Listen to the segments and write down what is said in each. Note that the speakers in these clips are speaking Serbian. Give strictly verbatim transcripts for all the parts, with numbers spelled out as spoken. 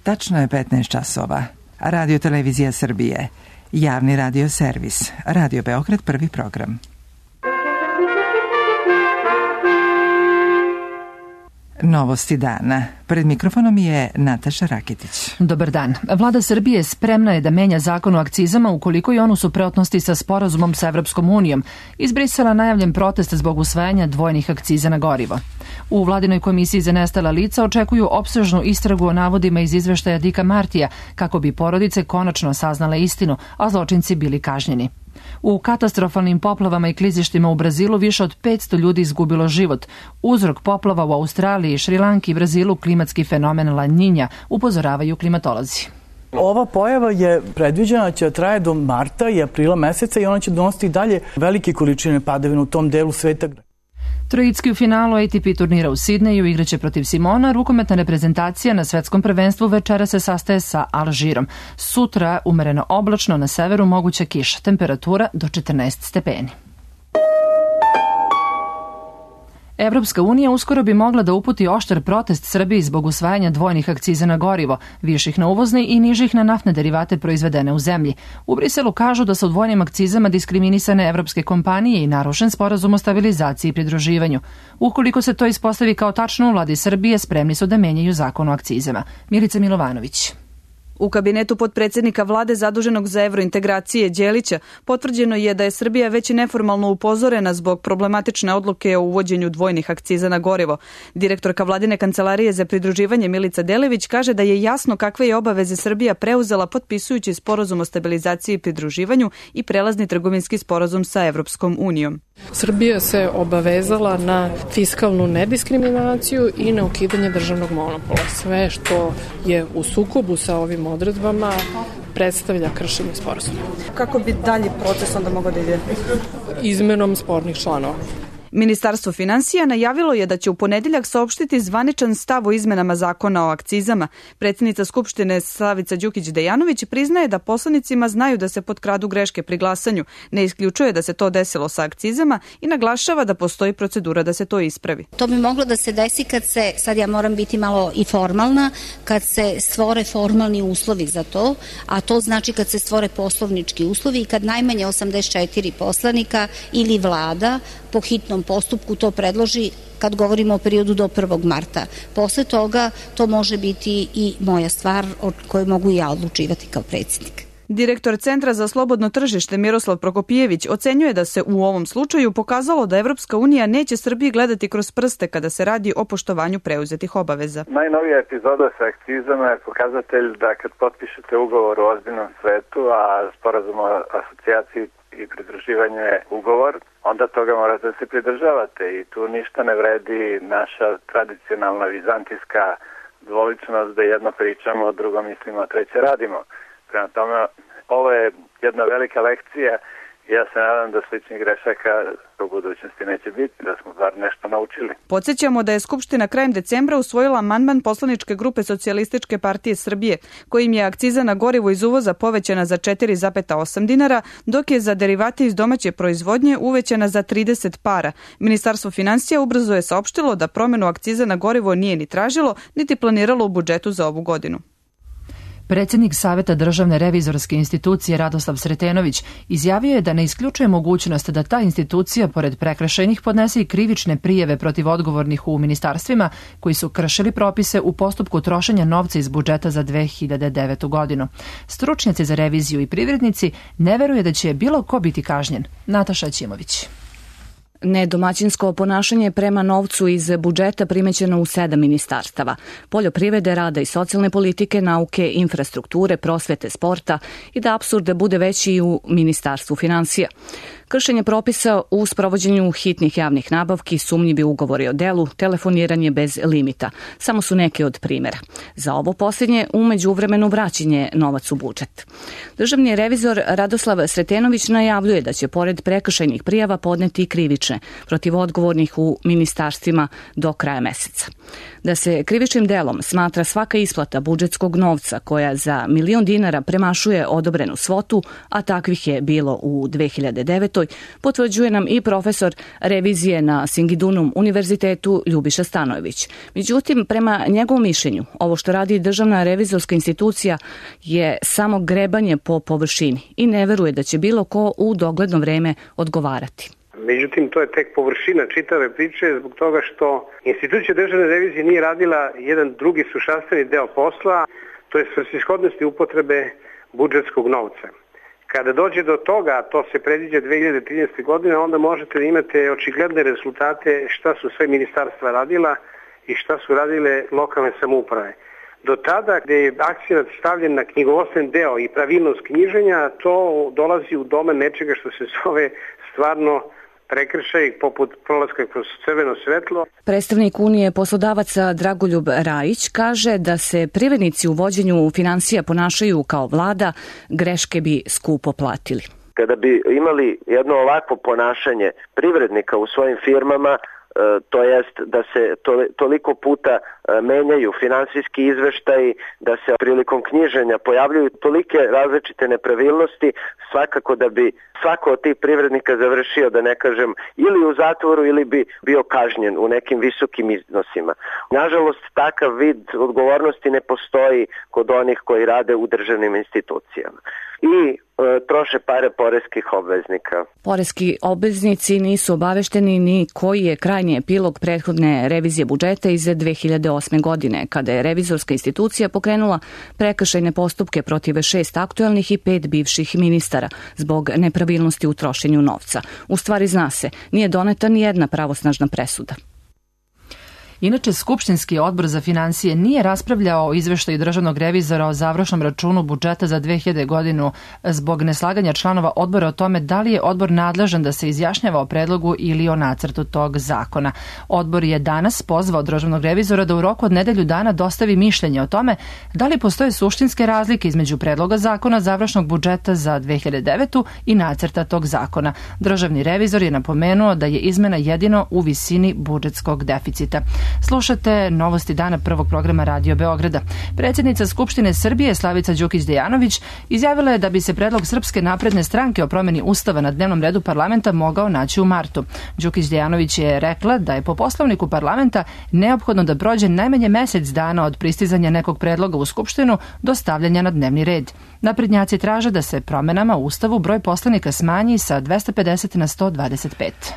Tačno je petnaest časova. Radio Televizija Srbije. Javni radio servis. Radio Beograd, prvi program. Novosti dana. Pred mikrofonom je Nataša Raketić. Dobar dan. Vlada Srbije spremna je da menja zakon o akcizama ukoliko je on u suprotnosti sa sporazumom sa Evropskom unijom. Izbrisala najavljen protest zbog usvajanja dvojnih akciza na gorivo. U vladinoj komisiji za nestala lica očekuju opsežnu istragu o navodima iz izveštaja Dika Martija kako bi porodice konačno saznale istinu, a zločinci bili kažnjeni. U katastrofalnim poplavama i klizištima u Brazilu više od petsto ljudi izgubilo život. Uzrok poplava u Australiji, Šrilanki i Brazilu klimatski fenomen La Niña, upozoravaju klimatolozi. Ova pojava je predviđena će traje do marta i aprila meseca i ona će donositi dalje velike količine padavina u tom delu sveta. Trojicki u finalu A T P turnira u Sidneju igraće protiv Simona. Rukometna reprezentacija na svetskom prvenstvu večera se sastaje sa Alžirom. Sutra umereno oblačno, na severu moguća kiša, temperatura do četrnaest stepeni. Evropska unija uskoro bi mogla da uputi oštar protest Srbiji zbog usvajanja dvojnih akciza na gorivo, viših na uvozne i nižih na naftne derivate proizvedene u zemlji. U Briselu kažu da su dvojnim akcizama diskriminisane evropske kompanije i narušen sporazum o stabilizaciji i pridruživanju. Ukoliko se to ispostavi kao tačno, u vladi Srbije spremni su da menjaju zakon o akcizama. Milica Milovanović. U kabinetu potpredsjednika vlade zaduženog za evrointegracije Đelića potvrđeno je da je Srbija već i neformalno upozorena zbog problematične odluke o uvođenju dvojnih akciza na gorivo. Direktorka vladine kancelarije za pridruživanje Milica Delević kaže da je jasno kakve je obaveze Srbija preuzela potpisujući sporazum o stabilizaciji i pridruživanju i prelazni trgovinski sporazum sa Evropskom unijom. Srbija se obavezala na fiskalnu nediskriminaciju i na ukidanje državnog monopola. Sve što je u sukobu sa ovim odredbama predstavlja kršenje sporazuma. Kako bi dalje proces onda mogao da ide? Izmenom spornih članova. Ministarstvo finansija najavilo je da će u ponedeljak saopštiti zvaničan stav o izmenama zakona o akcizama. Predsjednica Skupštine Slavica Đukić-Dejanović priznaje da poslanicima znaju da se potkradu greške pri glasanju, ne isključuje da se to desilo sa akcizama i naglašava da postoji procedura da se to ispravi. To bi moglo da se desi kad se, sad ja moram biti malo i formalna, kad se stvore formalni uslovi za to, a to znači kad se stvore poslovnički uslovi i kad najmanje osamdeset četiri poslanika ili vlada po hitnom postupku to predloži kad govorimo o periodu do prvog marta. Posle toga to može biti i moja stvar o kojoj mogu ja odlučivati kao predsjednik. Direktor Centra za slobodno tržište Miroslav Prokopijević ocenjuje da se u ovom slučaju pokazalo da Evropska unija neće Srbiji gledati kroz prste kada se radi o poštovanju preuzetih obaveza. Najnovija epizoda sa akcizama je pokazatelj da kad potpišete ugovor u ozbiljnom svetu, a sporazum o asocijaciji i pridruživanju je ugovor, onda toga morate da se pridržavate i tu ništa ne vredi naša tradicionalna vizantijska dvoličnost da jedno pričamo, drugo mislimo, a treće radimo. Prema tome, ovo je jedna velika lekcija i ja se nadam da sličnih grešaka u budućnosti neće biti, da smo bar nešto naučili. Podsjećamo da je Skupština krajem decembra usvojila amandman poslaničke grupe Socijalističke partije Srbije, kojim je akciza na gorivo iz uvoza povećana za četiri zarez osam dinara, dok je za derivate iz domaće proizvodnje uvećana za trideset para. Ministarstvo finansija ubrzo je saopštilo da promenu akciza na gorivo nije ni tražilo, niti planiralo u budžetu za ovu godinu. Predsjednik Saveta državne revizorske institucije Radoslav Sretenović izjavio je da ne isključuje mogućnost da ta institucija, pored prekršajnih, podnese i krivične prijeve protiv odgovornih u ministarstvima koji su kršili propise u postupku trošenja novca iz budžeta za dve hiljade devetu godinu. Stručnjaci za reviziju i privrednici ne veruje da će bilo ko biti kažnjen. Nataša Ćimović. Nedomaćinsko ponašanje prema novcu iz budžeta primećeno u sedam ministarstava: poljoprivrede, rada i socijalne politike, nauke, infrastrukture, prosvete, sporta i da apsurd bude veći i u Ministarstvu finansija. Kršenje propisa u sprovođenju hitnih javnih nabavki, sumnjivi ugovori o delu, telefoniranje bez limita. Samo su neke od primjera. Za ovo posljednje u međuvremenu vraćanje novac u budžet. Državni revizor Radoslav Sretenović najavljuje da će pored prekršajnih prijava podneti i krivične protiv odgovornih u ministarstvima do kraja meseca. Da se krivičnim delom smatra svaka isplata budžetskog novca koja za milion dinara premašuje odobrenu svotu, a takvih je bilo u dve hiljade devetoj. devetoj, potvrđuje nam i profesor revizije na Singidunum univerzitetu Ljubiša Stanojević. Međutim, prema njegovom mišljenju, ovo što radi Državna revizorska institucija je samo grebanje po površini i ne veruje da će bilo ko u dogledno vreme odgovarati. Međutim, to je tek površina čitave priče zbog toga što institucija državne revizije nije radila jedan drugi suštveni deo posla, to je svrsishodnosti upotrebe budžetskog novca. Kada dođe do toga, to se predviđa dve hiljade trinaeste. godine, onda možete da imate očigledne rezultate šta su sve ministarstva radila i šta su radile lokalne samouprave. Do tada gde je akcenat stavljen na knjigovodstven deo i pravilnost knjiženja, to dolazi u domen nečega što se zove stvarno prekršaj poput prolaska kroz crveno svetlo. Predstavnik Unije poslodavaca Dragoljub Rajić kaže da se privrednici u vođenju finansija ponašaju kao vlada, greške bi skupo platili. Kada bi imali jedno ovakvo ponašanje privrednika u svojim firmama, to jest da se to, toliko puta menjaju finansijski izveštaji, da se prilikom knjiženja pojavljuju tolike različite nepravilnosti, svakako da bi svako od tih privrednika završio, da ne kažem, ili u zatvoru ili bi bio kažnjen u nekim visokim iznosima. Nažalost, takav vid odgovornosti ne postoji kod onih koji rade u državnim institucijama i e, troše pare poreskih obveznika. Poreski obveznici nisu obavešteni ni koji je krajnji epilog prethodne revizije budžeta iz dve hiljade osme. godine, kada je revizorska institucija pokrenula prekršajne postupke protiv šest aktuelnih i pet bivših ministara zbog nepravilnosti u trošenju novca. U stvari zna se, nije doneta ni jedna pravosnažna presuda. Inače, Skupštinski odbor za finansije nije raspravljao o izveštaju državnog revizora o završnom računu budžeta za dve hiljade. godinu zbog neslaganja članova odbora o tome da li je odbor nadležan da se izjašnjava o predlogu ili o nacrtu tog zakona. Odbor je danas pozvao državnog revizora da u roku od nedelju dana dostavi mišljenje o tome da li postoje suštinske razlike između predloga zakona završnog budžeta za dve hiljade devetu. i nacrta tog zakona. Državni revizor je napomenuo da je izmena jedino u visini budžetskog deficita. Slušate novosti dana prvog programa Radio Beograda. Predsjednica Skupštine Srbije Slavica Đukić-Dejanović izjavila je da bi se predlog Srpske napredne stranke o promjeni Ustava na dnevnom redu parlamenta mogao naći u martu. Đukić-Dejanović je rekla da je po poslovniku parlamenta neophodno da prođe najmanje mesec dana od pristizanja nekog predloga u Skupštinu do stavljanja na dnevni red. Naprednjaci traže da se promjenama u Ustavu broj poslanika smanji sa dvesta pedeset na sto dvadeset pet.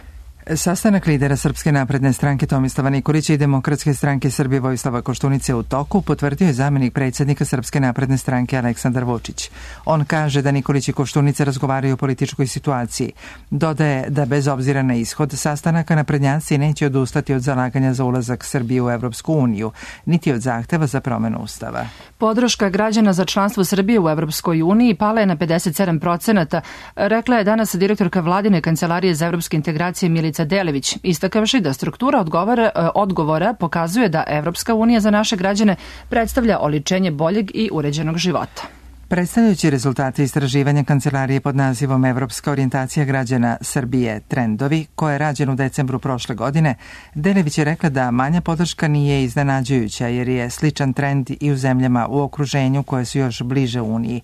Sastanak lidera Srpske napredne stranke Tomislava Nikolića i Demokratske stranke Srbije Vojislava Koštunice u toku, potvrdio je zamjenik predsjednika Srpske napredne stranke Aleksandar Vučić. On kaže da Nikolić i Koštunica razgovaraju o političkoj situaciji. Dodaje da bez obzira na ishod sastanaka naprednjaci neće odustati od zalaganja za ulazak Srbije u Evropsku uniju, niti od zahteva za promjenu Ustava. Podrška građana za članstvo Srbije u Evropskoj uniji pala je na pedeset sedam procenata, rekla je danas direktorka Vladine kancelarije za evropske integracije Milica Delević, istakavši da struktura odgovora, odgovora pokazuje da Evropska unija za naše građane predstavlja oličenje boljeg i uređenog života. Predstavljajući rezultate istraživanja kancelarije pod nazivom Evropska orijentacija građana Srbije trendovi, koje je rađen u decembru prošle godine, Delević je rekla da manja podrška nije iznenađujuća jer je sličan trend i u zemljama u okruženju koje su još bliže Uniji.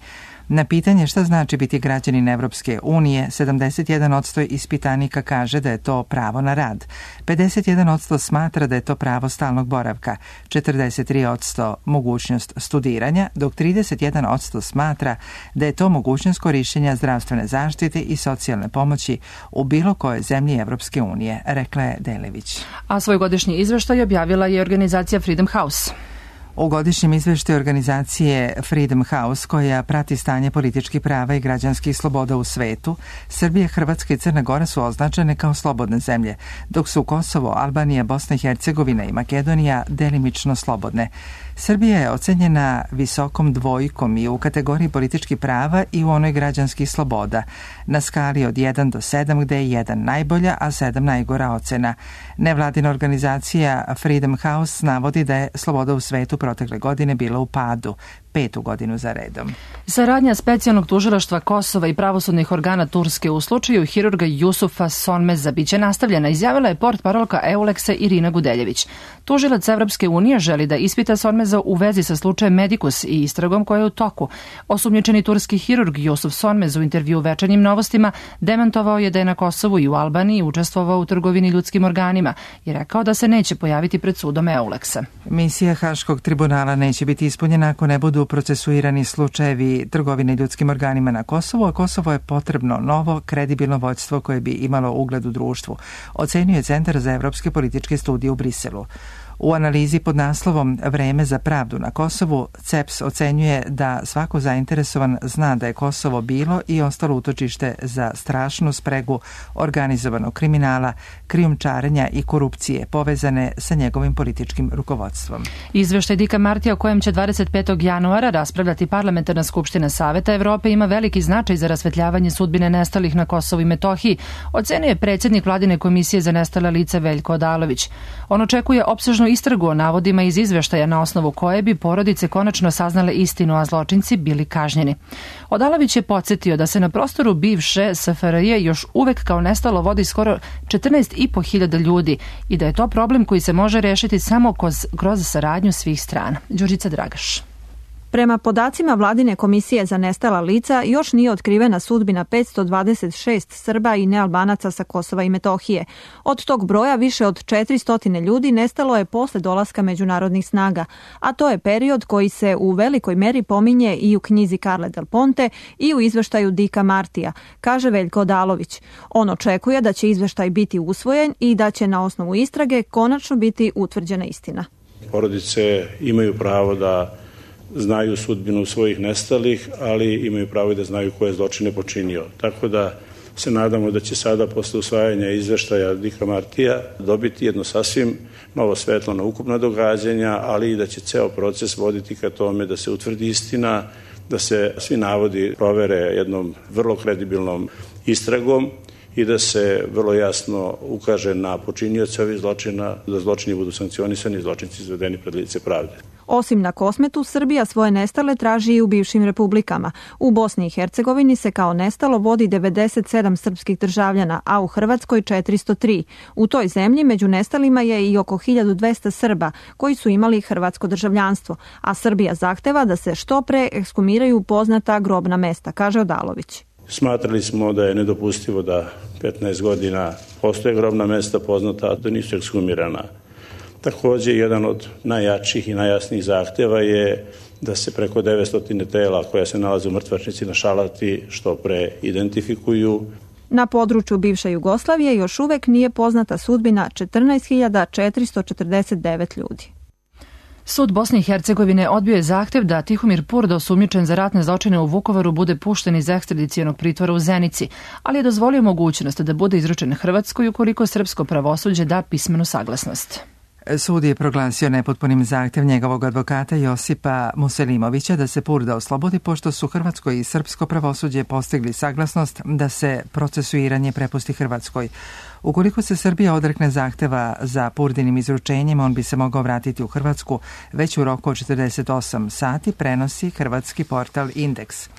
Na pitanje šta znači biti građanin Evropske unije, sedamdeset jedan posto ispitanika kaže da je to pravo na rad, pedeset jedan posto smatra da je to pravo stalnog boravka, četrdeset tri posto mogućnost studiranja, dok trideset jedan posto smatra da je to mogućnost korišćenja zdravstvene zaštite i socijalne pomoći u bilo kojoj zemlji Evropske unije, rekla je Delević. A svoj godišnji izveštaj objavila je organizacija Freedom House. U godišnjem izveštaju organizacije Freedom House, koja prati stanje političkih prava i građanskih sloboda u svetu, Srbija, Hrvatska i Crna Gora su označene kao slobodne zemlje, dok su Kosovo, Albanija, Bosna i Hercegovina i Makedonija delimično slobodne. Srbija je ocenjena visokom dvojkom i u kategoriji političkih prava i u onoj građanskih sloboda, na skali od jedan do sedam, gde je jedan najbolja, a sedam najgora ocena. Nevladina organizacija Freedom House navodi da je sloboda u svetu protekle godine bila u padu, petu godinu za redom. Saradnja specijalnog tužilaštva Kosova i pravosudnih organa Turske u slučaju hirurga Jusufa Sonmeza biće nastavljena, izjavila je portparolka Euleksa Irina Gudeljević. Tužilac Evropske unije želi da ispita Sonmeza u vezi sa slučajem Medikus i istragom koja je u toku. Osumnjičeni turski hirurg Jusuf Sonmez u intervju u Večernjim novostima demantovao je da je na Kosovu i u Albaniji učestvovao u trgovini ljudskim organima i rekao da se neće pojaviti pred sudom Euleksa. Misija Haškog tribunala neće biti ispunjena ako ne budu procesuirani slučajevi trgovine ljudskim organima na Kosovu, a Kosovo je potrebno novo, kredibilno vođstvo koje bi imalo ugled u društvu, ocenio je Centar za evropske političke studije u Briselu. U analizi pod naslovom Vreme za pravdu na Kosovu, C E P S ocenjuje da svako zainteresovan zna da je Kosovo bilo i ostalo utočište za strašnu spregu organizovanog kriminala, krijumčarenja i korupcije povezane sa njegovim političkim rukovodstvom. Izveštaj Dika Martija o kojem će dvadeset petog januara raspravljati Parlamentarna skupština Saveta Evrope ima veliki značaj za rasvetljavanje sudbine nestalih na Kosovu i Metohiji, ocenio je predsjednik Vladine komisije za nestala lica Veljko Odalović. On očekuje opsežnu istragu o navodima iz izveštaja na osnovu koje bi porodice konačno saznale istinu, a zločinci bili kažnjeni. Odalović je podsjetio da se na prostoru bivše S F R J još uvek kao nestalo vodi skoro četrnaest i po hiljada ljudi i da je to problem koji se može rešiti samo kroz, kroz saradnju svih strana. Đurđica Dragaš. Prema podacima Vladine komisije za nestala lica, još nije otkrivena sudbina petsto dvadeset šest Srba i nealbanaca sa Kosova i Metohije. Od tog broja više od četiristo ljudi nestalo je posle dolaska međunarodnih snaga, a to je period koji se u velikoj meri pominje i u knjizi Carle Del Ponte i u izveštaju Dika Martija, kaže Veljko Odalović. On očekuje da će izveštaj biti usvojen i da će na osnovu istrage konačno biti utvrđena istina. Porodice imaju pravo da znaju sudbinu svojih nestalih, ali imaju pravo i da znaju ko je zločine počinio. Tako da se nadamo da će sada posle usvajanja izveštaja Dika Martija dobiti jedno sasvim novo svetlo na ukupna događanja, ali i da će ceo proces voditi ka tome da se utvrdi istina, da se svi navodi provere jednom vrlo kredibilnom istragom i da se vrlo jasno ukaže na počinioce ovih zločina, da zločini budu sankcionisani i zločinci izvedeni pred lice pravde. Osim na Kosmetu, Srbija svoje nestale traži i u bivšim republikama. U Bosni i Hercegovini se kao nestalo vodi devedeset sedam srpskih državljana, a u Hrvatskoj četiristo tri. U toj zemlji među nestalima je i oko hiljadu dvesta Srba koji su imali hrvatsko državljanstvo, a Srbija zahteva da se što pre ekshumiraju poznata grobna mesta, kaže Odalović. Smatrali smo da je nedopustivo da petnaest godina postoje grobna mesta poznata, a da nisu ekshumirana. Također, jedan od najjačih i najjasnijih zahtjeva je da se preko devetsto tela koja se nalaze u mrtvačnici na Šalati što pre identifikuju. Na području bivše Jugoslavije još uvek nije poznata sudbina četrnaest hiljada četiristo četrdeset devet ljudi. Sud Bosne i Hercegovine odbio je zahtev da Tihomir Purda, osumnjičen za ratne zločine u Vukovaru, bude pušten iz ekstradicionog pritvora u Zenici, ali je dozvolio mogućnost da bude izručen Hrvatskoj ukoliko srpsko pravosuđe da pismenu saglasnost. Sud je proglasio nepotpunim zahtjev njegovog advokata Josipa Muselimovića da se Purda oslobodi, pošto su hrvatsko i srpsko pravosuđe postigli saglasnost da se procesuiranje prepusti Hrvatskoj. Ukoliko se Srbija odrekne zahteva za Purdinim izručenjem, on bi se mogao vratiti u Hrvatsku već u roku od četrdeset osam sati, prenosi hrvatski portal Indeks.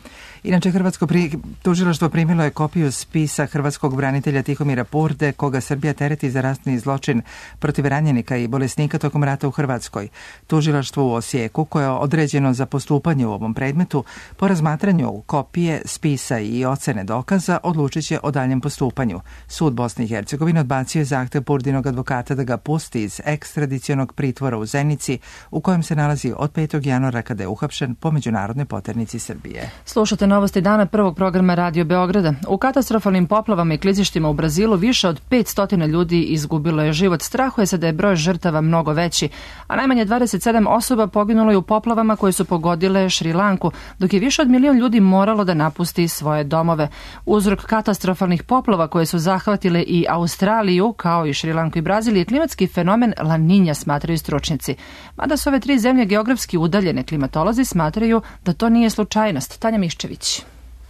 Inače, Hrvatsko pri... tužilaštvo primilo je kopiju spisa hrvatskog branitelja Tihomira Purde, koga Srbija tereti za ratni zločin protiv ranjenika i bolesnika tokom rata u Hrvatskoj. Tužilaštvo u Osijeku, koje je određeno za postupanje u ovom predmetu, po razmatranju kopije, spisa i ocene dokaza, odlučit će o daljem postupanju. Sud Bosne i Hercegovine odbacio je zahtev Purdinog advokata da ga pusti iz ekstradicionog pritvora u Zenici, u kojem se nalazi od petog januara kada je uhapšen po međunarodnoj poternici Srbije. Slušate novosti dana prvog programa Radio Beograda. U katastrofalnim poplavama i klizištima u Brazilu više od petsto ljudi izgubilo je život. Strahuje se da je broj žrtava mnogo veći, a najmanje dvadeset sedam osoba poginulo je u poplavama koje su pogodile Šrilanku, dok je više od milion ljudi moralo da napusti svoje domove. Uzrok katastrofalnih poplava koje su zahvatile i Australiju, kao i Šrilanku i Brazil, je klimatski fenomen La Niña, smatraju stručnjaci. Mada su ove tri zemlje geografski udaljene, klimatolozi smatraju da to nije slučajnost. Tanja Miščević.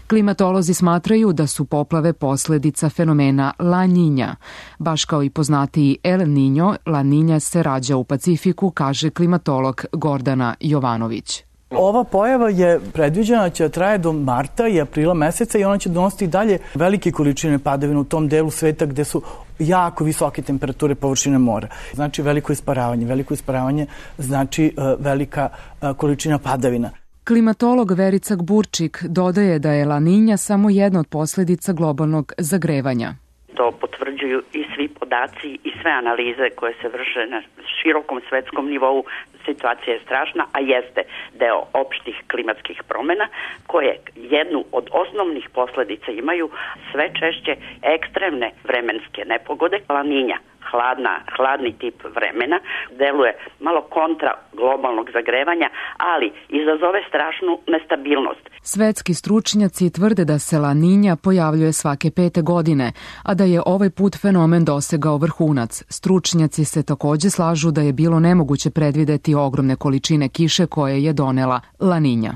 Klimatolozi smatraju da su poplave posledica fenomena La Niña. Baš kao i poznatiji El Niño, La Niña se rađa u Pacifiku, kaže klimatolog Gordana Jovanović. Ova pojava je predviđena će traje do marta i aprila meseca i ona će donositi dalje velike količine padavina u tom delu sveta gde su jako visoke temperature površine mora. Znači veliko isparavanje. Veliko isparavanje znači uh, velika uh, količina padavina. Klimatolog Verica Gburčik dodaje da je La Niña samo jedna od posledica globalnog zagrevanja. To potvrđuju i svi podaci i sve analize koje se vrše na širokom svetskom nivou. Situacija je strašna, a jeste deo opštih klimatskih promena koje jednu od osnovnih posledica imaju sve češće ekstremne vremenske nepogode. La Niña, hladna, hladni tip vremena, deluje malo kontra globalnog zagrevanja, ali izazove strašnu nestabilnost. Svetski stručnjaci tvrde da se La Niña pojavljuje svake pete godine, a da je ovaj put fenomen dosegao vrhunac. Stručnjaci se takođe slažu da je bilo nemoguće predvideti ogromne količine kiše koje je donela La Niña.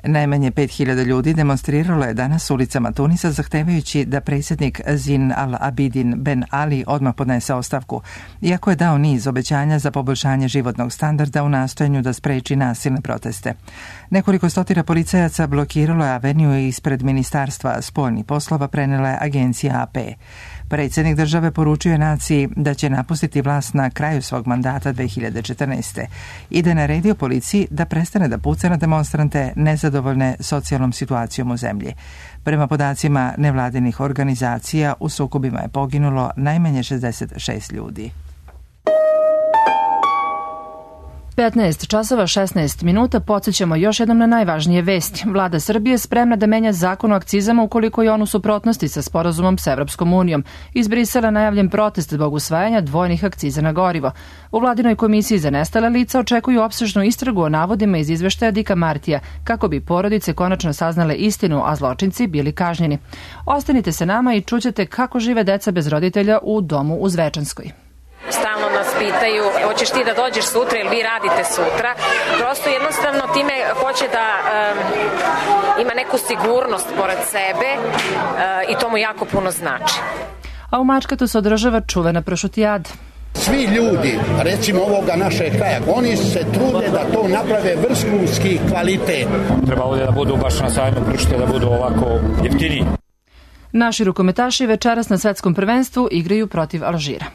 Najmanje pet hiljada ljudi demonstriralo je danas ulicama Tunisa zahtevajući da predsjednik Zin al-Abidin Ben Ali odmah podnese ostavku, iako je dao niz obećanja za poboljšanje životnog standarda u nastojanju da spreči nasilne proteste. Nekoliko stotina policajaca blokiralo je aveniju ispred Ministarstva spoljnih poslova, prenela je agencija A P. Predsjednik države poručio je naciji da će napustiti vlast na kraju svog mandata dve hiljade četrnaeste. i da je naredio policiji da prestane da puca na demonstrante nezadovoljne socijalnom situacijom u zemlji. Prema podacima nevladinih organizacija, u sukobima je poginulo najmanje šezdeset šest ljudi. petnaest časova šesnaest minuta, podsjećamo još jednom na najvažnije vesti. Vlada Srbije spremna da menja zakon o akcizama ukoliko je on u suprotnosti sa sporazumom s Evropskom unijom. Iz Brisela najavljen protest zbog usvajanja dvojnih akciza na gorivo. U Vladinoj komisiji za nestala lica očekuju opsežnu istragu o navodima iz izveštaja Dika Martija, kako bi porodice konačno saznale istinu, a zločinci bili kažnjeni. Ostanite se nama i čućete kako žive deca bez roditelja u domu u Zvečanskoj. Stalno nas pitaju, hoćeš ti da dođeš sutra ili vi radite sutra. Prosto jednostavno time hoće da um, ima neku sigurnost pored sebe uh, i to mu jako puno znači. A u Mačkatu se održava čuvena pršutijada. Svi ljudi, recimo ovoga našeg kraja, oni se trude da to naprave vrhunski kvalitet. Treba ovdje da budu baš na sajmu pršute, da budu ovako jeftiniji. Naši rukometaši večeras na svetskom prvenstvu igraju protiv Alžira.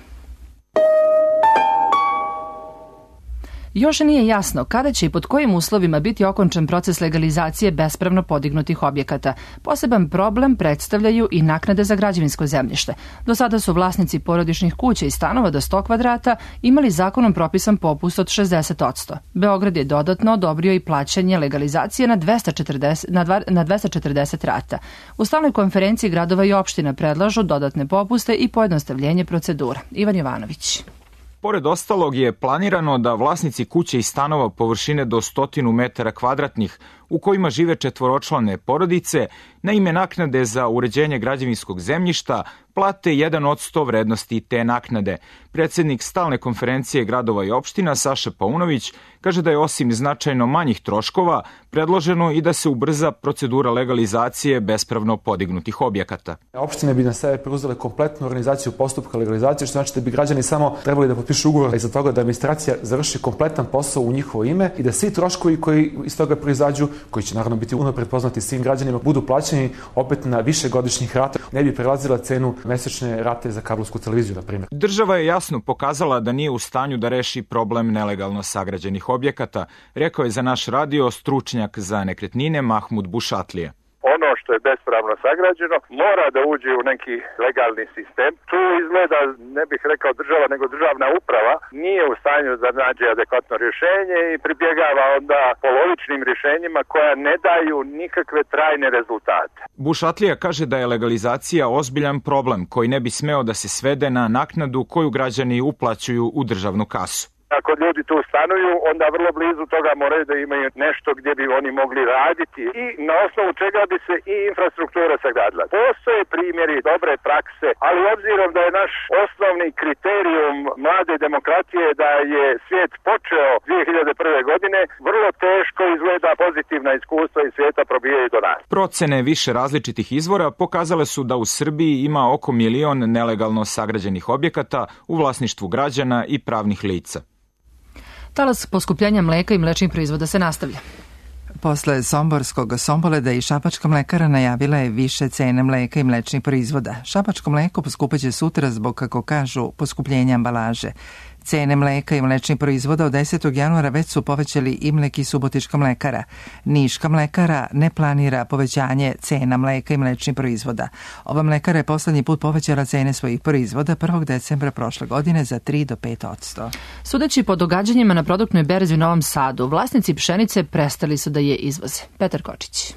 Još nije jasno kada će i pod kojim uslovima biti okončan proces legalizacije bespravno podignutih objekata. Poseban problem predstavljaju i naknade za građevinsko zemljište. Do sada su vlasnici porodičnih kuća i stanova do sto kvadrata imali zakonom propisan popust od šezdeset posto. Beograd je dodatno odobrio i plaćanje legalizacije na dvesta četrdeset, na, dva, na dvesta četrdeset rata. U stalnoj konferenciji gradova i opština predlažu dodatne popuste i pojednostavljenje procedura. Ivan Jovanović. Pored ostalog je planirano da vlasnici kuće i stanova površine do stotinu metara kvadratnih u kojima žive četvoročlane porodice na ime naknade za uređenje građevinskog zemljišta plate jedan od sto vrednosti te naknade. Predsjednik stalne konferencije gradova i opština Saša Paunović kaže da je osim značajno manjih troškova predloženo i da se ubrza procedura legalizacije bespravno podignutih objekata. Opštine bi na sebe preuzele kompletnu organizaciju postupka legalizacije, što znači da bi građani samo trebali da potpišu ugovor iza toga da administracija završi kompletan posao u njihovo ime i da svi troškovi koji iz toga proizađu, koji će naravno biti unapred poznati svim građanima, budu plaćeni opet na višegodišnjih rata, ne bi prelazila cenu mesečne rate za kablovsku televiziju, na primjer. Država je jasno pokazala da nije u stanju da reši problem nelegalno sagrađenih objekata, rekao je za naš radio stručnjak za nekretnine Mahmud Bušatlije. Ono što je bespravno sagrađeno mora da uđe u neki legalni sistem. Tu izgleda, ne bih rekao država, nego državna uprava nije u stanju da nađe adekvatno rješenje i pribjegava onda polovičnim rješenjima koja ne daju nikakve trajne rezultate. Bušatlija kaže da je legalizacija ozbiljan problem koji ne bi smeo da se svede na naknadu koju građani uplaćuju u državnu kasu. Ako ljudi tu stanuju, onda vrlo blizu toga moraju da imaju nešto gdje bi oni mogli raditi i na osnovu čega bi se i infrastruktura sagradila. Postoje primjeri dobre prakse, ali obzirom da je naš osnovni kriterijum mlade demokratije da je svijet počeo dvije hiljade prve. godine, vrlo teško izgleda pozitivna iskustva iz svijeta probijaju do nas. Procene više različitih izvora pokazale su da u Srbiji ima oko milion nelegalno sagrađenih objekata u vlasništvu građana i pravnih lica. Talas poskupljenja mleka i mlečnih proizvoda se nastavlja. Posle somborskog Somboleda i Šabačka mlekara najavila je više cene mleka i mlečnih proizvoda. Šabačko mleko poskupeće sutra zbog, kako kažu, poskupljenja ambalaže. Cene mleka i mlečnih proizvoda od desetog januara već su povećali Imlek i Subotička mlekara. Niška mlekara ne planira povećanje cena mleka i mlečnih proizvoda. Ova mlekara je poslednji put povećala cene svojih proizvoda prvog decembra prošle godine za tri do pet odsto. Sudeći po događanjima na produktnoj berzi u Novom Sadu, vlasnici pšenice prestali su da je izvoze. Petar Kočić.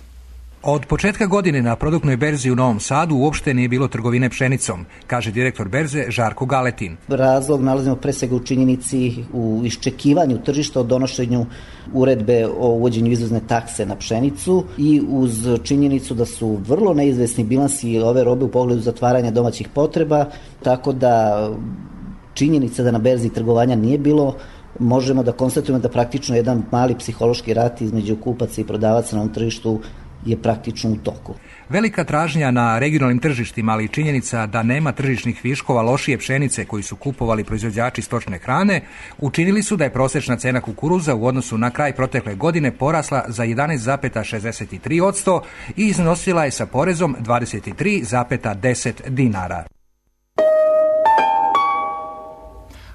Od početka godine na produktnoj berzi u Novom Sadu uopšte nije bilo trgovine pšenicom, kaže direktor berze Žarko Galetin. Razlog nalazimo pre svega u činjenici u iščekivanju tržišta o donošenju uredbe o uvođenju izvozne takse na pšenicu i uz činjenicu da su vrlo neizvesni bilansi ove robe u pogledu zatvaranja domaćih potreba, tako da činjenica da na berzi trgovanja nije bilo, možemo da konstatujemo da praktično jedan mali psihološki rat između kupaca i prodavaca na ovom tržištu je praktično u toku. Velika tražnja na regionalnim tržištima, ali i činjenica da nema tržišnih viškova lošije pšenice koji su kupovali proizvođači stočne hrane, učinili su da je prosečna cena kukuruza u odnosu na kraj protekle godine porasla za jedanaest zarez šezdeset tri odsto i iznosila je sa porezom dvadeset tri zarez deset dinara.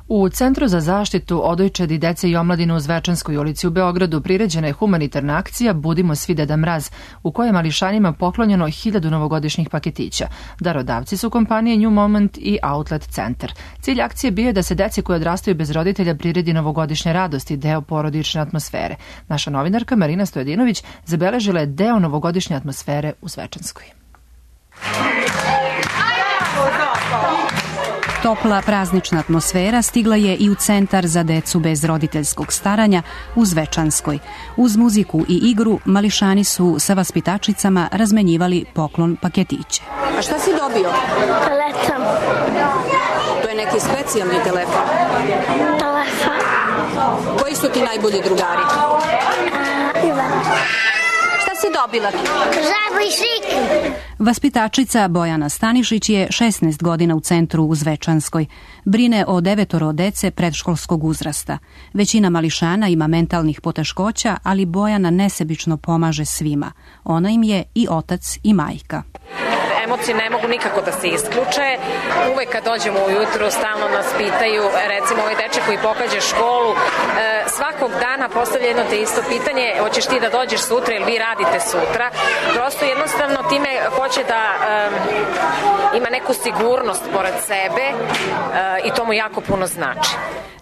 U Centru za zaštitu odojčadi, dece i omladine u Zvečanskoj ulici u Beogradu priređena je humanitarna akcija Budimo svi Deda Mraz, u kojoj je mališanima poklonjeno hiljadu novogodišnjih paketića. Darodavci su kompanije New Moment i Outlet Centar. Cilj akcije bio je da se deci koji odrastaju bez roditelja priredi novogodišnje radosti, deo porodične atmosfere. Naša novinarka Marina Stojedinović zabeležila je deo novogodišnje atmosfere u Zvečanskoj. Topla praznična atmosfera stigla je i u Centar za decu bez roditeljskog staranja u Zvečanskoj. Uz muziku i igru mališani su sa vaspitačicama razmenjivali poklon paketiće. A šta si dobio? Telefon. To je neki specijalni telefon. Telefon. Koji su ti najbolji drugari? Uh, Ivan. Šta si dobila? Žabu i šik. Vaspitačica Bojana Stanišić je šesnaest godina u centru u Zvečanskoj. Brine o devetoro dece predškolskog uzrasta. Većina mališana ima mentalnih poteškoća, ali Bojana nesebično pomaže svima. Ona im je i otac i majka. Emocije ne mogu nikako da se isključe. Uvek kad dođemo ujutru stalno nas pitaju, recimo ovaj dečak koji pohađa školu, e, svakog dana postavlja jedno te isto pitanje, hoćeš ti da dođeš sutra ili vi radite sutra. Prosto jednostavno time hoće da e, ima neku sigurnost pored sebe e, i to mu jako puno znači.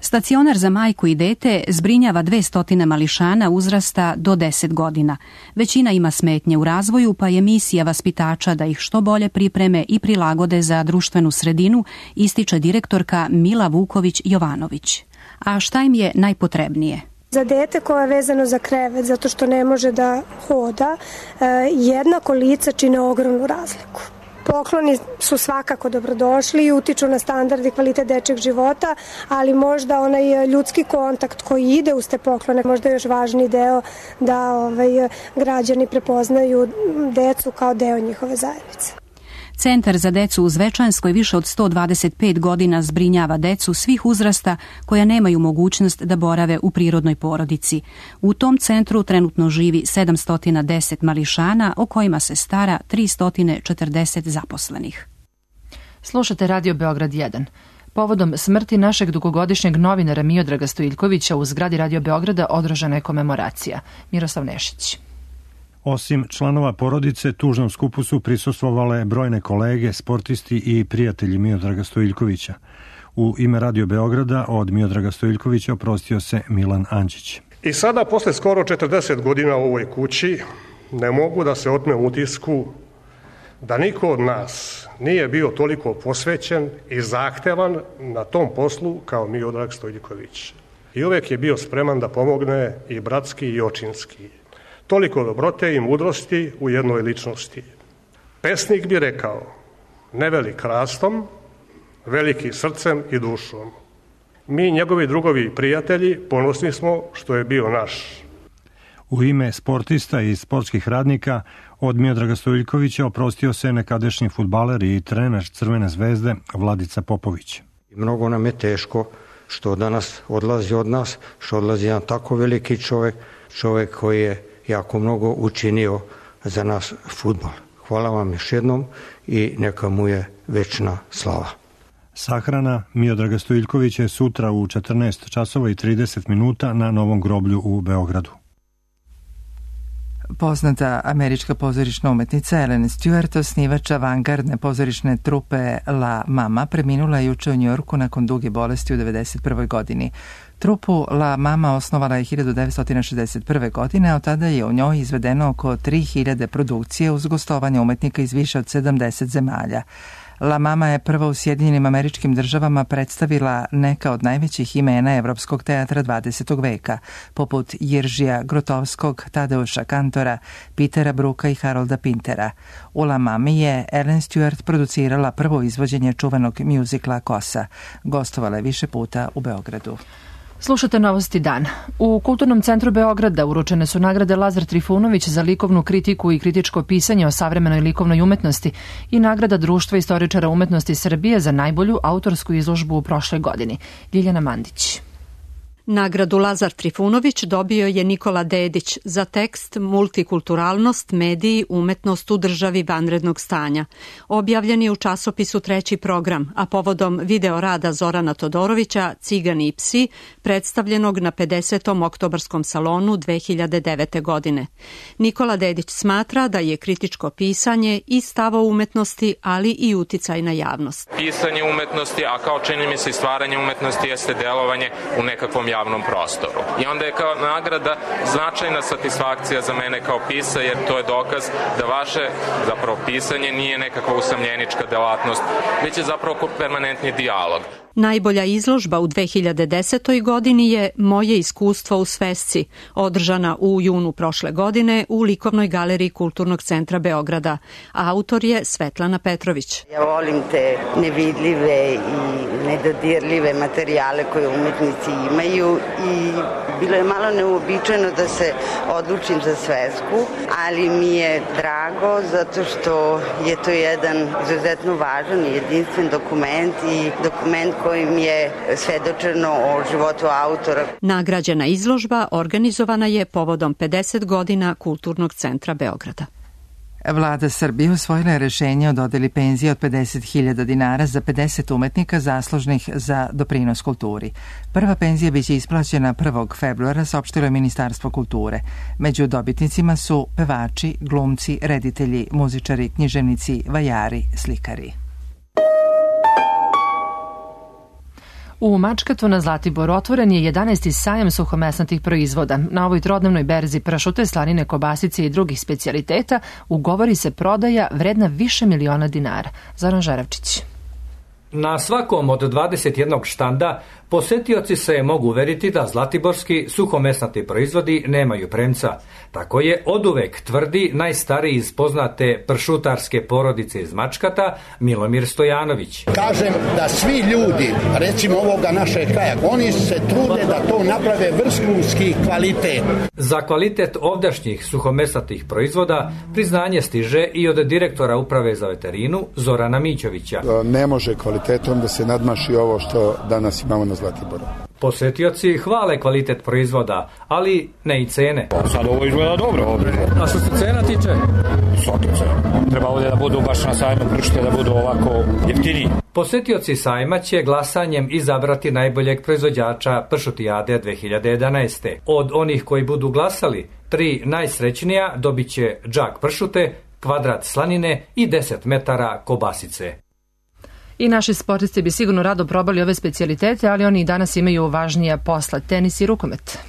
Stacionar za majku i dete zbrinjava dve stotine mališana uzrasta do deset godina. Većina ima smetnje u razvoju, pa je misija vaspitača da ih što bolje pripreme i prilagode za društvenu sredinu, ističe direktorka Mila Vuković-Jovanović. A šta im je najpotrebnije? Za dete koje je vezano za krevet, zato što ne može da hoda, jednako lica čine ogromnu razliku. Pokloni su svakako dobrodošli i utiču na standard i kvalitet dečeg života, ali možda onaj ljudski kontakt koji ide uz te poklone, možda je još važniji deo da ovaj, građani prepoznaju decu kao deo njihove zajednice. Centar za decu u Zvečanskoj više od sto dvadeset pet godina zbrinjava decu svih uzrasta koja nemaju mogućnost da borave u prirodnoj porodici. U tom centru trenutno živi sedamsto deset mališana, o kojima se stara tristo četrdeset zaposlenih. Slušate Radio Beograd jedan. Povodom smrti našeg dugogodišnjeg novinara Miodraga Stojiljkovića u zgradi Radio Beograda održana je komemoracija. Miroslav Nešić. Osim članova porodice, tužnom skupu su prisustvovale brojne kolege, sportisti i prijatelji Miodraga Stojiljkovića. U ime Radio Beograda od Miodraga Stojiljkovića oprostio se Milan Anđić. I sada, posle skoro četrdeset godina u ovoj kući, ne mogu da se otmem utisku da niko od nas nije bio toliko posvećen i zahtevan na tom poslu kao Miodrag Stojiljković. i uvek je bio spreman da pomogne i bratski i očinski. Toliko dobrote i mudrosti u jednoj ličnosti. Pesnik bi rekao, ne velik rastom, veliki srcem i dušom. Mi, njegovi drugovi i prijatelji, ponosni smo što je bio naš. U ime sportista i sportskih radnika od Miodraga Stojiljkovića oprostio se nekadašnji fudbaler i trener Crvene zvezde Vladica Popović. Mnogo nam je teško što danas odlazi od nas, što odlazi jedan tako veliki čovjek, čovjek koji je jako mnogo učinio za nas fudbal. Hvala vam još jednom i neka mu je večna slava. Sahrana Miodraga Stojiljkovića je sutra u četrnaest časova i trideset minuta na Novom groblju u Beogradu. Poznata američka pozorišna umetnica Ellen Stewart, osnivač avangardne pozorišne trupe La Mama, preminula je juče u Njujorku nakon duge bolesti u devedeset prvoj godini. Trupu La Mama osnovala je hiljadu devetsto šezdeset prve. godine, a od tada je u njoj izvedeno oko tri hiljade produkcije uz gostovanje umetnika iz više od sedamdeset zemalja. La Mama je prva u Sjedinjenim Američkim Državama predstavila neka od najvećih imena evropskog teatra dvadesetog veka, poput Jiržija Grotovskog, Tadeuša Kantora, Petera Bruka i Harolda Pintera. U La Mami je Ellen Stewart producirala prvo izvođenje čuvenog mjuzikla Kosa. Gostovala je više puta u Beogradu. Slušate Novosti dan. U Kulturnom centru Beograda uručene su nagrade Lazar Trifunović za likovnu kritiku i kritičko pisanje o savremenoj likovnoj umetnosti i nagrada Društva istoričara umetnosti Srbije za najbolju autorsku izložbu u prošloj godini. Ljiljana Mandić. Nagradu Lazar Trifunović dobio je Nikola Dedić za tekst Multikulturalnost, mediji, umetnost u državi vanrednog stanja. Objavljen je u časopisu Treći program, a povodom video rada Zorana Todorovića Cigani i psi, predstavljenog na pedesetom oktobarskom salonu dve hiljade devete. godine. Nikola Dedić smatra da je kritičko pisanje i stav o umetnosti, ali i uticaj na javnost. Pisanje umetnosti, a kao čini mi se i stvaranje umetnosti, jeste delovanje u nekakvom javnom prostoru. I onda je kao nagrada značajna satisfakcija za mene kao pisa, jer to je dokaz da vaše zapravo pisanje nije nekakva usamljenička delatnost, već je zapravo permanentni dijalog. Najbolja izložba u dve hiljade desetoj. godini je Moje iskustvo u svesci, održana u junu prošle godine u Likovnoj galeriji Kulturnog centra Beograda. Autor je Svetlana Petrović. Ja volim te nevidljive i nedodirljive materijale koje umetnici imaju i bilo je malo neuobičajeno da se odlučim za svesku, ali mi je drago zato što je to jedan izuzetno važan i jedinstven dokument i dokument kojim je svedočeno o životu autora. Nagrađena izložba organizovana je povodom pedeset godina Kulturnog centra Beograda. Vlada Srbije usvojila je rešenje o dodeli penzije od pedeset hiljada dinara za pedeset umetnika zaslužnih za doprinos kulturi. Prva penzija biće isplaćena prvog februara, saopštilo je Ministarstvo kulture. Među dobitnicima su pevači, glumci, reditelji, muzičari, književnici, vajari, slikari. U Mačkatu na Zlatiboru otvoren je jedanaesti sajam suhomesnatih proizvoda. Na ovoj trodnevnoj berzi pršute, slanine, kobasice i drugih specijaliteta ugovori se prodaja vredna više miliona dinara. Zoran Žaravčić. Na svakom od dvadeset jednog štanda posetioci se mogu uveriti da zlatiborski suhomesnati proizvodi nemaju premca. Tako je oduvek tvrdi najstariji iz poznate pršutarske porodice iz Mačkata Milomir Stojanović. Kažem da svi ljudi, recimo ovoga našeg kraja, oni se trude da to naprave vrhunski kvalitet. Za kvalitet ovdašnjih suhomesnatih proizvoda priznanje stiže i od direktora uprave za veterinu Zorana Mićovića. Ne može kvalitetom da se nadmaši ovo što danas imamo na Zlatiboru. Posetioci hvale kvalitet proizvoda, ali ne i cene. Sad ovo izgleda dobro. Ovdje. A što se cena tiče? Svake cena. Treba ovdje da budu baš na sajmu pršute, da budu ovako jeftiniji. Posetioci sajma će glasanjem izabrati najboljeg proizvođača pršutijade dve hiljade jedanaeste. Od onih koji budu glasali, tri najsrećnija dobit će džak pršute, kvadrat slanine i deset metara kobasice. I naši sportisti bi sigurno rado probali ove specijalitete, ali oni i danas imaju važnija posla, tenis i rukomet.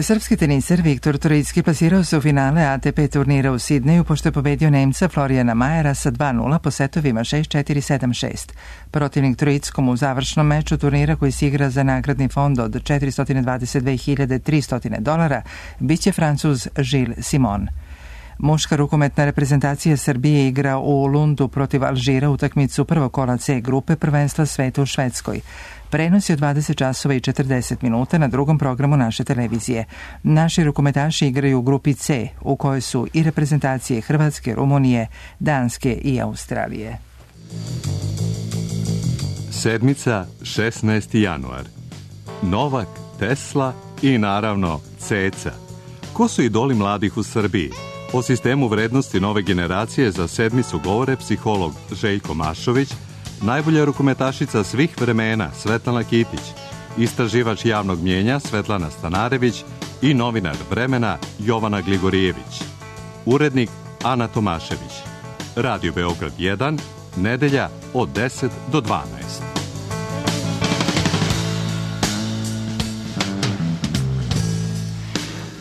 Srpski teniser Viktor Troicki plasirao se u finale A T P turnira u Sidneju pošto je pobedio Nemca Florijana Majera sa dva nula po setovima šest četiri sedam šest. Protivnik Troickom u završnom meču turnira koji se igra za nagradni fond od četiristo dvadeset dve hiljade tristo dolara biće Francuz Gilles Simon. Muška rukometna reprezentacija Srbije igra u Lundu protiv Alžira utakmicu prvog kola C grupe prvenstva sveta u Švedskoj. Prenos je od dvadeset časova i četrdeset minuta na drugom programu naše televizije. Naši rukometaši igraju u grupi C, u kojoj su i reprezentacije Hrvatske, Rumunije, Danske i Australije. Sedmica, šesnaesti januar. Novak, Tesla i naravno Ceca. Ko su idoli mladih u Srbiji? O sistemu vrednosti nove generacije za sedmicu govore psiholog Željko Mašović, najbolja rukometašica svih vremena Svetlana Kitić, istraživač javnog mnjenja Svetlana Stanarević i novinar Vremena Jovana Gligorijević. Urednik Ana Tomašević. Radio Beograd jedan, nedelja od deset do dvanaest.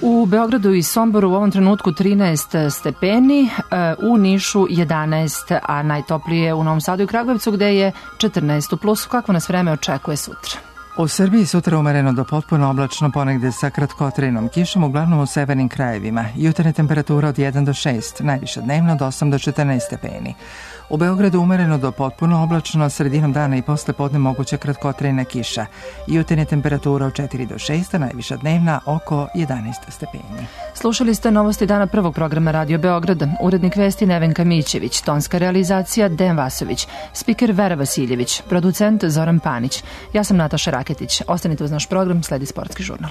U Beogradu i Somboru u ovom trenutku trinaest stepeni, u Nišu jedanaest, a najtoplije u Novom Sadu i Kragujevcu gde je četrnaest u plusu. Kakvo nas vreme očekuje sutra? U Srbiji sutra umereno do potpuno oblačno, ponegde sa kratkotrajnom kišom, uglavnom u severnim krajevima. Jutarnja temperatura od jedan do šest, najviša dnevno od osam do četrnaest stepeni. U Beogradu umereno do potpuno oblačno, sredinom dana i posle podne moguća kratkotrajna kiša. Jutarnja temperatura od četiri do šest, a najviša dnevna oko jedanaest stepeni. Slušali ste novosti dana prvog programa Radio Beograda. Urednik vesti Nevenka Mićević, tonska realizacija Dejan Vasović, spiker Vera Vasiljević, producent Zoran Panić. Ja sam Nataša Raketić. Ostanite uz naš program, sledi Sportski žurnal.